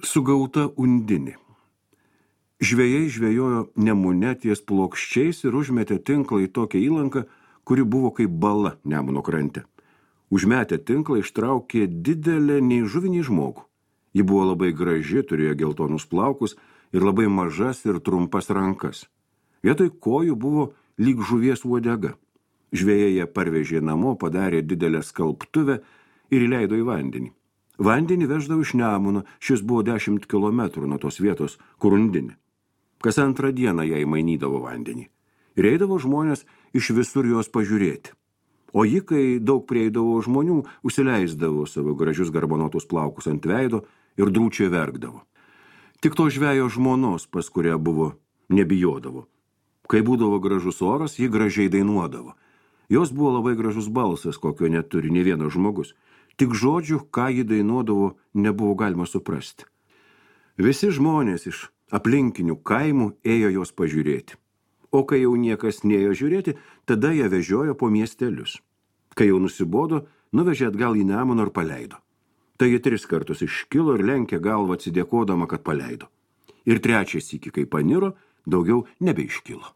Sugauta undinė. Žvejai žvejojo Nemune ties plokščiais ir užmetė tinklą į tokią įlanką, kuri buvo kaip bala Nemuno krante. Užmetę tinklą ištraukė didelę nei žuvinį žmogų. Ji buvo labai graži, turėjo geltonus plaukus ir labai mažas ir trumpas rankas. Vietoj kojų buvo lyg žuvies uodega. Žvejai ją parvežė namo, padarė didelę skalbtuvę ir įleido į vandenį. Vandenį veždavo iš Nemuno, šis buvo 10 kilometrų nuo tos vietos, kur undinė. Kas antrą dieną jai mainydavo vandenį. Ir eidavo žmonės iš visur jos pažiūrėti. O ji, kai daug prieidavo žmonių, užsileisdavo savo gražius garbanotus plaukus ant veido ir drūčiai verkdavo. Tik to žvejo žmonos, pas kurią buvo, nebijodavo. Kai būdavo gražus oras, ji gražiai dainuodavo. Jos buvo labai gražus balsas, kokio neturi nė vienas žmogus. Tik žodžių, ką ji dainuodavo, nebuvo galima suprasti. Visi žmonės iš aplinkinių kaimų ėjo jos pažiūrėti. O kai jau niekas neėjo žiūrėti, tada ją vežiojo po miestelius. Kai jau nusibodo, nuvežė atgal į Nemuną ir paleido. Tai ji 3 kartus iškilo ir lenkė galvą atsidėkodama, kad paleido. Ir 3 sykį, kai paniro, daugiau nebeiškilo.